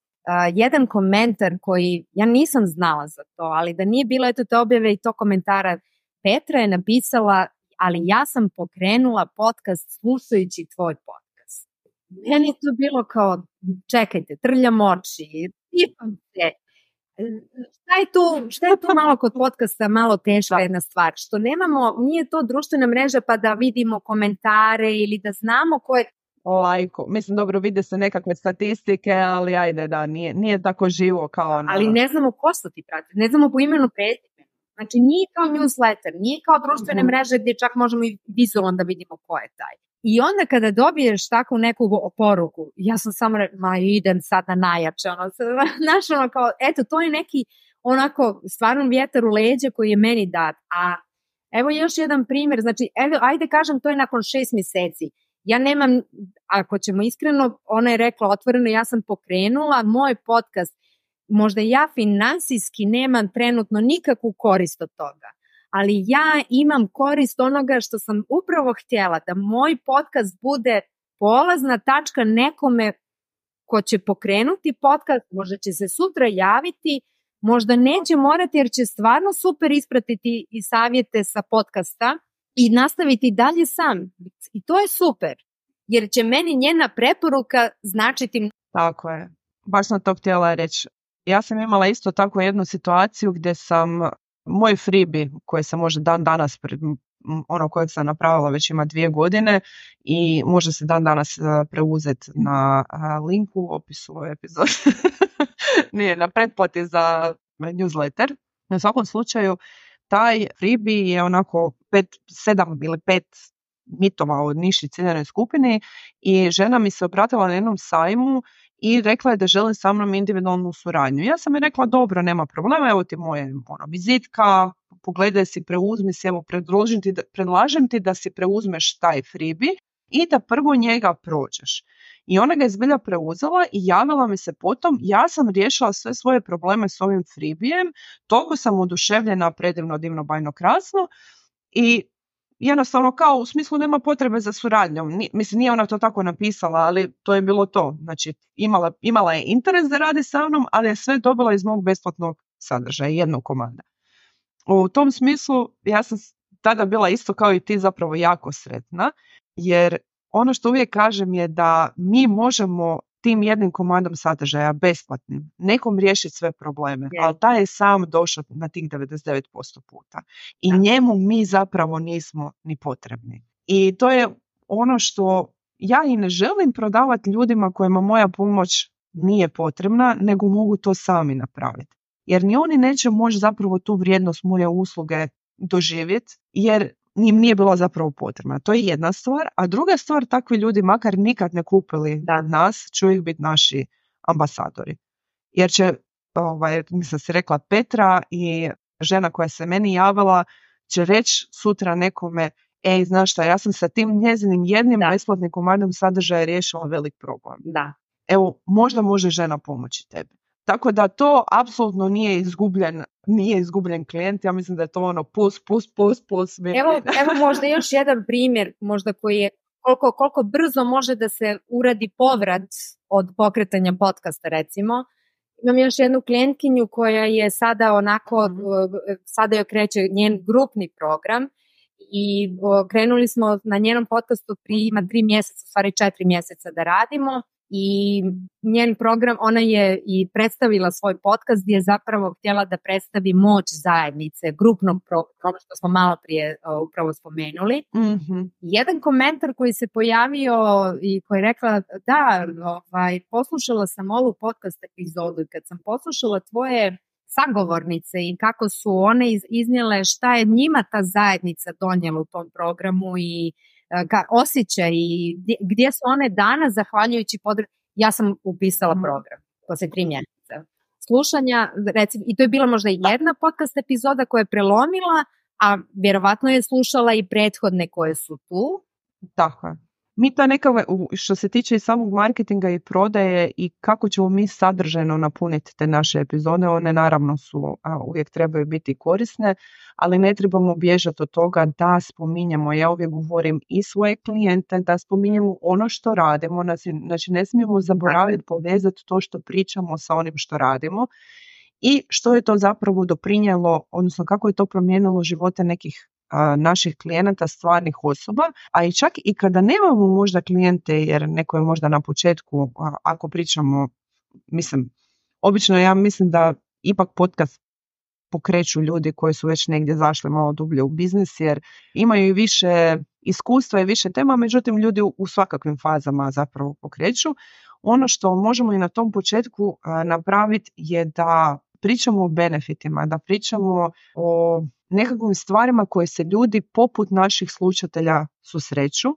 [SPEAKER 3] jedan komentar koji ja nisam znala za to, ali da nije bilo te objave i to komentara, Petra je napisala, ali ja sam pokrenula podcast slušajući tvoj podcast. Meni je to bilo kao, čekajte, trljam oči, tipam se. šta je tu malo kod podcasta malo teška jedna stvar, što nemamo, nije to društvena mreža pa da vidimo komentare ili da znamo ko je
[SPEAKER 2] lajko. Mislim, dobro, vide se nekakve statistike, ali ajde, da, nije tako živo kao
[SPEAKER 3] Ali ne znamo ko su ti prati, ne znamo po imenu prezimenu. Znači, nije kao newsletter, nije kao društvene mreže gdje čak možemo i vizualno da vidimo ko je taj. I onda kada dobiješ takvu neku poruku, ja sam samo idem sad na najjače, znaš, kao, eto, to je neki onako stvarno vjetar u leđa koji je meni dat. A evo još jedan primjer, znači, ajde kažem, to je nakon 6 mjeseci. Ja nemam, ako ćemo iskreno, ona je rekla otvoreno, ja sam pokrenula moj podcast, možda ja finansijski nemam trenutno nikakvu korist od toga, ali ja imam korist onoga što sam upravo htjela, da moj podcast bude polazna tačka nekome ko će pokrenuti podcast, možda će se sutra javiti, možda neće morati jer će stvarno super ispratiti i savjete sa podcasta i nastaviti dalje sam. I to je super, jer će meni njena preporuka značiti.
[SPEAKER 2] Tako je. Baš sam to htjela reći. Ja sam imala isto tako jednu situaciju gdje sam moj freebie koji sam možda dan danas ono kojeg sam napravila već ima 2 godine i može se dan danas preuzeti na linku u opisu ove epizode. Nije, na pretplati za newsletter. Na svakom slučaju taj freebie je onako 7 ili 5 mitova o niši ciljanoj skupini i žena mi se obratila na jednom sajmu i rekla je da želi sa mnom individualnu suradnju. Ja sam je rekla, dobro, nema problema, evo ti moje vizitka, pogledaj si, preuzmi si, evo predlažem ti da si preuzmeš taj freebie i da prvo njega prođeš. I ona ga je zbilja preuzela i javila mi se potom, ja sam riješila sve svoje probleme s ovim freebijem, toliko sam oduševljena, predivno, divno, bajno, krasno i jednostavno kao u smislu nema potrebe za suradnjom. Mislim, nije ona to tako napisala, ali to je bilo to. Znači, imala je interes da radi sa mnom, ali je sve dobila iz mog besplatnog sadržaja, jednog komada. U tom smislu, ja sam tada bila isto kao i ti zapravo jako sretna, jer ono što uvijek kažem je da mi možemo tim jednim komadom sadržaja besplatnim nekom riješiti sve probleme, ali taj je sam došao na tih 99% puta. I njemu mi zapravo nismo ni potrebni. I to je ono što ja i ne želim prodavati ljudima kojima moja pomoć nije potrebna, nego mogu to sami napraviti. Jer ni oni neće moći zapravo tu vrijednost moje usluge doživjeti, jer im nije bila zapravo potrebna. To je jedna stvar, a druga stvar, takvi ljudi makar nikad ne kupili nas, će uvijek biti naši ambasadori. Jer će, mislim se rekla Petra i žena koja se meni javila, će reći sutra nekome, znaš šta, ja sam sa tim njezinim jednim besplatnim komadom sadržaja riješila velik problem.
[SPEAKER 3] Da.
[SPEAKER 2] Evo, možda može žena pomoći tebi. Tako da to apsolutno nije izgubljen klijent, ja mislim da je to ono plus.
[SPEAKER 3] Evo možda još jedan primjer, možda koji je koliko brzo može da se uradi povrat od pokretanja podcasta, recimo. Imam još jednu klijentkinju koja je sada onako, sada joj kreće njen grupni program i krenuli smo na njenom podcastu ima 3 mjeseca, u stvari 4 mjeseca da radimo. I njen program, ona je i predstavila svoj podcast gdje je zapravo htjela da predstavi moć zajednice, grupnog programa što smo malo prije upravo spomenuli.
[SPEAKER 2] Mm-hmm.
[SPEAKER 3] Jedan komentar koji se pojavio i koji je rekla, da, poslušala sam ovu podcast epizodu i kad sam poslušala tvoje sagovornice i kako su one iznijele šta je njima ta zajednica donijela u tom programu i osjećaj i gdje su one danas zahvaljujući ja sam upisala program poslije 3 mjeseca slušanja, recimo, i to je bila možda jedna podcast epizoda koja je prelomila, a vjerovatno je slušala i prethodne koje su tu.
[SPEAKER 2] Tako je. Mi to nekako, što se tiče i samog marketinga i prodaje i kako ćemo mi sadržajno napuniti te naše epizode, one naravno su, uvijek trebaju biti korisne, ali ne trebamo bježati od toga da spominjemo, ja uvijek govorim i svoje klijente, da spominjemo ono što radimo, znači ne smijemo zaboraviti povezati to što pričamo sa onim što radimo i što je to zapravo doprinijelo, odnosno kako je to promijenilo živote nekih naših klijenata, stvarnih osoba, a i čak i kada nemamo možda klijente, jer neko je možda na početku, ako pričamo, obično ja mislim da ipak podcast pokreću ljudi koji su već negdje zašli malo dublje u biznis, jer imaju i više iskustva i više tema, međutim ljudi u svakakvim fazama zapravo pokreću. Ono što možemo i na tom početku napraviti je da pričamo o benefitima, da pričamo o nekakvim stvarima koje se ljudi poput naših slušatelja susreću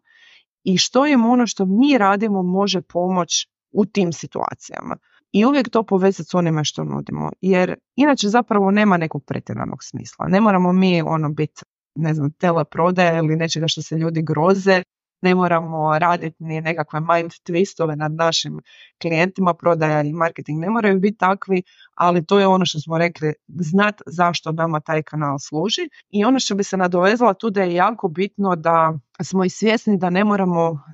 [SPEAKER 2] i što im ono što mi radimo može pomoći u tim situacijama. I uvijek to povezati s onime što nudimo, jer inače zapravo nema nekog pretjeranog smisla. Ne moramo mi biti, teleprodaje ili nečega što se ljudi groze, ne moramo raditi ni nekakve mind twistove nad našim klijentima, prodaja i marketing ne moraju biti takvi, ali to je ono što smo rekli, znat zašto nama taj kanal služi. I ono što bi se nadovezala tu da je jako bitno da smo i svjesni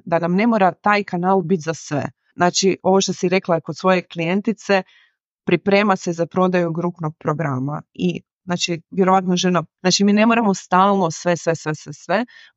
[SPEAKER 2] da nam ne mora taj kanal biti za sve. Znači, ovo što si rekla kod svoje klijentice, priprema se za prodaju grupnog programa i znači, vjerovatno žena, znači mi ne moramo stalno sve,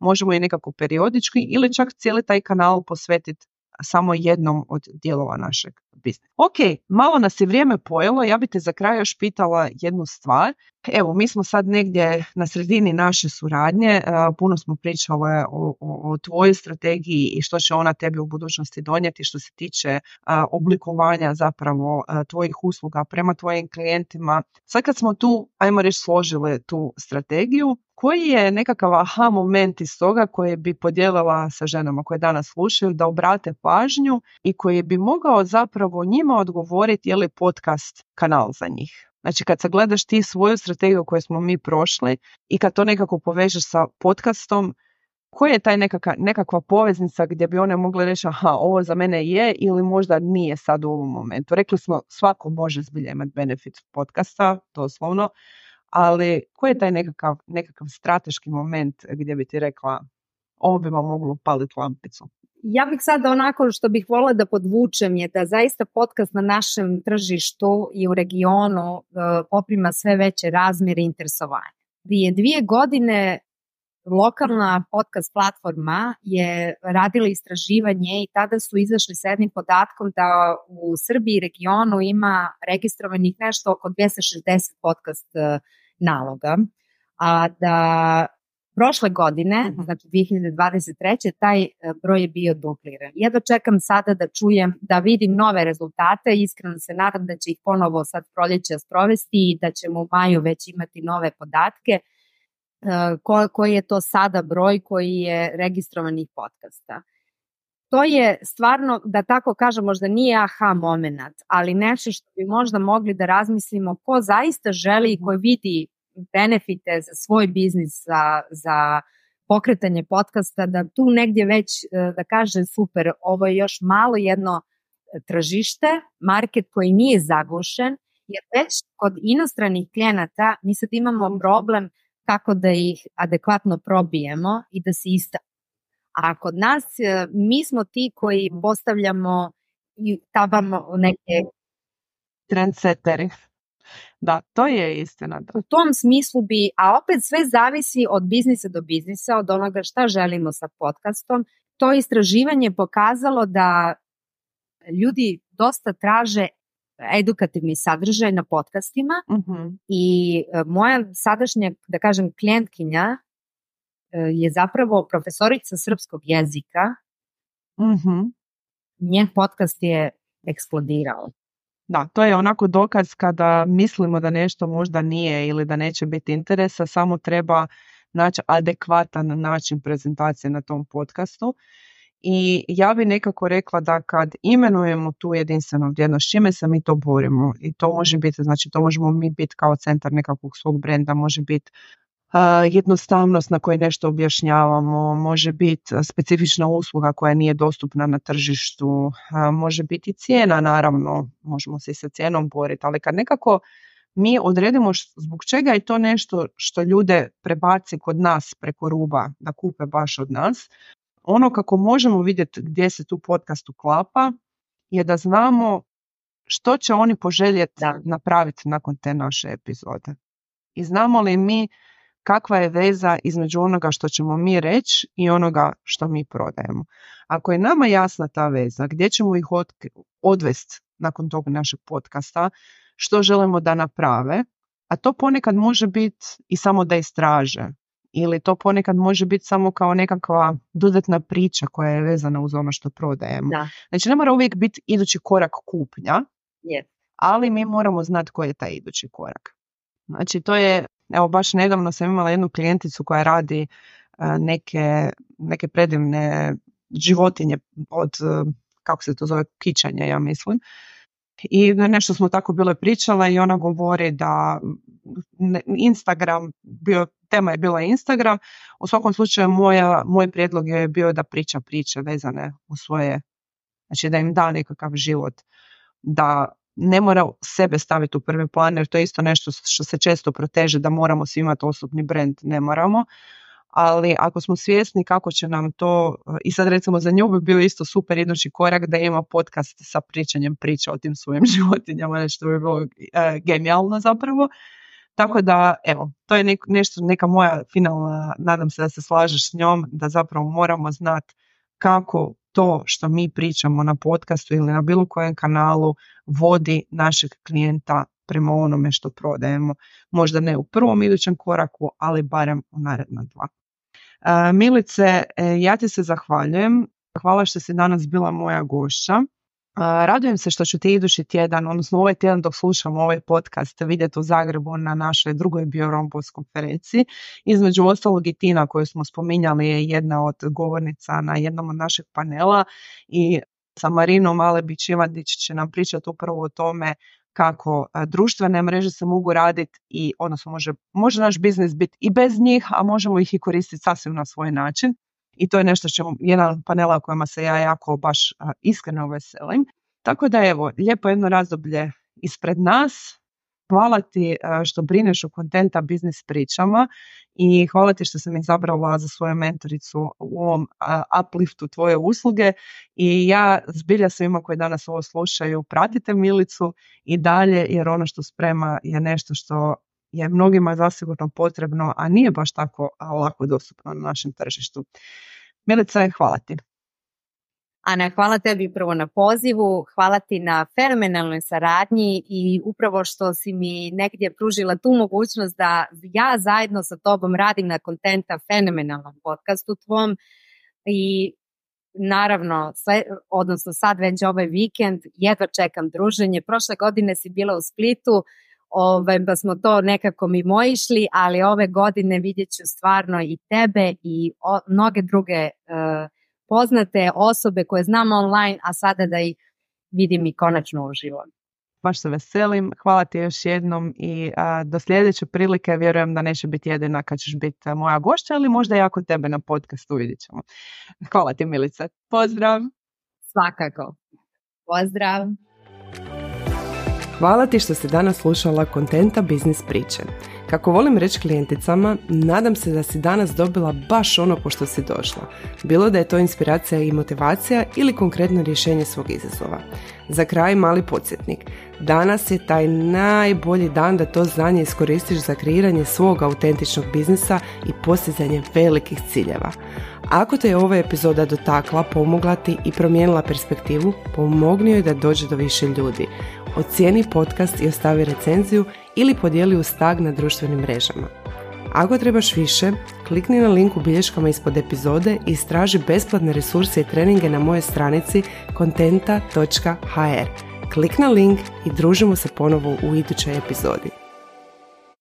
[SPEAKER 2] možemo i nekako periodički ili čak cijeli taj kanal posvetiti samo jednom od dijelova našeg biznisa. Ok, malo nas je vrijeme pojelo, ja bi te za kraj još pitala jednu stvar. Evo, mi smo sad negdje na sredini naše suradnje, puno smo pričale o tvojoj strategiji i što će ona tebi u budućnosti donijeti što se tiče oblikovanja zapravo tvojih usluga prema tvojim klijentima. Sad kad smo tu, ajmo reći, složili tu strategiju, koji je nekakav aha moment iz toga koje bi podijelila sa ženama koje danas slušaju da obrate pažnju i koji bi mogao zapravo njima odgovoriti je li podcast kanal za njih? Znači kad sagledaš ti svoju strategiju koju smo mi prošli i kad to nekako povežeš sa podcastom, koja je taj nekakva poveznica gdje bi one mogle reći aha, ovo za mene je ili možda nije sad u ovom momentu. Rekli smo svako može zbilja imati benefit podcasta, doslovno, ali koji je taj nekakav strateški moment gdje bi ti rekla ovo bi vam moglo upaliti lampicu?
[SPEAKER 3] Ja bih sad onako što bih voljela da podvučem je da zaista podcast na našem tržištu i u regionu poprima sve veće razmjere interesovanja. Prije 2 godine lokalna podcast platforma je radila istraživanje i tada su izašli s jednim podatkom da u Srbiji i regionu ima registrovanih nešto oko 260 podcast naloga, a da prošle godine, znači 2023. taj broj je bio dupliran. Ja dočekam sada da čujem, da vidim nove rezultate, iskreno se nadam da će ih ponovo sad proljeća sprovesti i da ćemo u maju već imati nove podatke. Koji je to sada broj koji je registrovanih podcasta. To je stvarno, da tako kažem, možda nije aha moment, ali nešto što bi možda mogli da razmislimo ko zaista želi i koji vidi benefite za svoj biznis, za pokretanje podcasta, da tu negdje već da kaže super, ovo je još malo jedno tržište, market koji nije zagušen, jer već kod inostranih klijenata mi sad imamo problem kako da ih adekvatno probijemo i da se istaknu. A kod nas mi smo ti koji postavljamo i tabamo neke
[SPEAKER 2] trendsetteri. Da, to je istina.
[SPEAKER 3] U tom smislu bi, a opet sve zavisi od biznisa do biznisa, od onoga šta želimo sa podcastom. To istraživanje pokazalo da ljudi dosta traže edukativni sadržaj na podcastima i moja sadašnja, da kažem, klijentkinja je zapravo profesorica srpskog jezika. Njen podcast je eksplodirao.
[SPEAKER 2] Da, to je onako dokaz kada mislimo da nešto možda nije ili da neće biti interesa, samo treba naći adekvatan način prezentacije na tom podcastu. I ja bi nekako rekla da kad imenujemo tu jedinstvenu vrijednost, čime se mi to borimo, i to može biti, znači to možemo mi biti kao centar nekakvog svog brenda, može biti jednostavnost na kojoj nešto objašnjavamo, može biti specifična usluga koja nije dostupna na tržištu, može biti cijena, naravno, možemo se i sa cijenom boriti, ali kad nekako mi odredimo zbog čega je to nešto što ljude prebaci kod nas preko ruba da kupe baš od nas, ono kako možemo vidjeti gdje se tu podcast uklapa je da znamo što će oni poželjeti napraviti nakon te naše epizode. I znamo li mi kakva je veza između onoga što ćemo mi reći i onoga što mi prodajemo. Ako je nama jasna ta veza, gdje ćemo ih odvesti nakon tog našeg podcasta, što želimo da naprave, a to ponekad može biti i samo da istraže. Ili to ponekad može biti samo kao nekakva dodatna priča koja je vezana uz ono što prodajemo.
[SPEAKER 3] Da.
[SPEAKER 2] Znači ne mora uvijek biti idući korak kupnja,
[SPEAKER 3] Yes.
[SPEAKER 2] ali mi moramo znati koji je taj idući korak. Znači to je, evo baš nedavno sam imala jednu klijenticu koja radi neke predivne životinje od, kako se to zove, kičanja, ja mislim. I nešto smo tako bile pričale i ona govori da Instagram, tema je bila Instagram, u svakom slučaju moj prijedlog je bio da priča priče vezane u svoje, znači da im da nekakav život, da ne mora sebe staviti u prvi plan, jer to je isto nešto što se često proteže, da moramo svi imati osobni brand, ne moramo. Ali ako smo svjesni kako će nam to, i sad recimo za nju bi bio isto super idući korak da ima podcast sa pričanjem priča o tim svojim životinjama, nešto bi bilo genijalno zapravo. Tako da, evo, to je neka moja finalna, nadam se da se slažeš s njom, da zapravo moramo znati kako to što mi pričamo na podcastu ili na bilo kojem kanalu vodi našeg klijenta prema onome što prodajemo. Možda ne u prvom idućem koraku, ali barem u naredna 2. Milice, ja ti se zahvaljujem. Hvala što si danas bila moja gošća. Radujem se što ću te idući tjedan, odnosno ovaj tjedan dok slušam ovaj podcast, vidjeti u Zagrebu na našoj drugoj BioRompos konferenciji. Između ostalog i Tina koju smo spominjali je jedna od govornica na jednom od našeg panela i sa Marinom Alebić-Ivandić će nam pričati upravo o tome kako društvene mreže se mogu raditi i odnosno može naš biznis biti i bez njih, a možemo ih i koristiti sasvim na svoj način. I to je nešto jedan panela o kojima se ja jako baš iskreno veselim. Tako da evo, lijepo jedno razdoblje ispred nas. Hvala ti što brineš o Contenta biznis pričama i hvala ti što sam izabrala za svoju mentoricu u ovom upliftu tvoje usluge. I ja zbilja svima koji danas ovo slušaju, pratite Milicu i dalje, jer ono što sprema je nešto što je mnogima zasigurno potrebno, a nije baš tako lako dostupno na našem tržištu. Milica, hvala ti.
[SPEAKER 3] Ana, hvala tebi prvo na pozivu, hvala ti na fenomenalnoj saradnji i upravo što si mi negdje pružila tu mogućnost da ja zajedno sa tobom radim na Contenta fenomenalnom podcastu tvom i naravno, odnosno sad već ovaj vikend, jedva čekam druženje. Prošle godine si bila u Splitu, pa smo to nekako mimoišli, ali ove godine vidjet ću stvarno i tebe i mnoge druge poznate osobe koje znam online, a sada da ih vidim i konačno uživo.
[SPEAKER 2] Baš se veselim, hvala ti još jednom i do sljedeće prilike vjerujem da neće biti jedina kad ćeš biti moja gošća, ali možda i ako tebe na podcastu vidjet ćemo. Hvala ti, Milice. Pozdrav!
[SPEAKER 3] Svakako. Pozdrav!
[SPEAKER 1] Hvala ti što si danas slušala Contenta biznis priče. Kako volim reći klijenticama, nadam se da si danas dobila baš ono po što si došla. Bilo da je to inspiracija i motivacija ili konkretno rješenje svog izazova. Za kraj mali podsjetnik. Danas je taj najbolji dan da to znanje iskoristiš za kreiranje svog autentičnog biznisa i postizanje velikih ciljeva. Ako te je ova epizoda dotakla, pomogla ti i promijenila perspektivu, pomogni joj da dođe do više ljudi. Ocijeni podcast i ostavi recenziju ili podijeli uz tag na društvenim mrežama. Ako trebaš više, klikni na link u bilješkama ispod epizode i istraži besplatne resurse i treninge na mojoj stranici contenta.hr. Klik na link i družimo se ponovo u idućoj epizodi.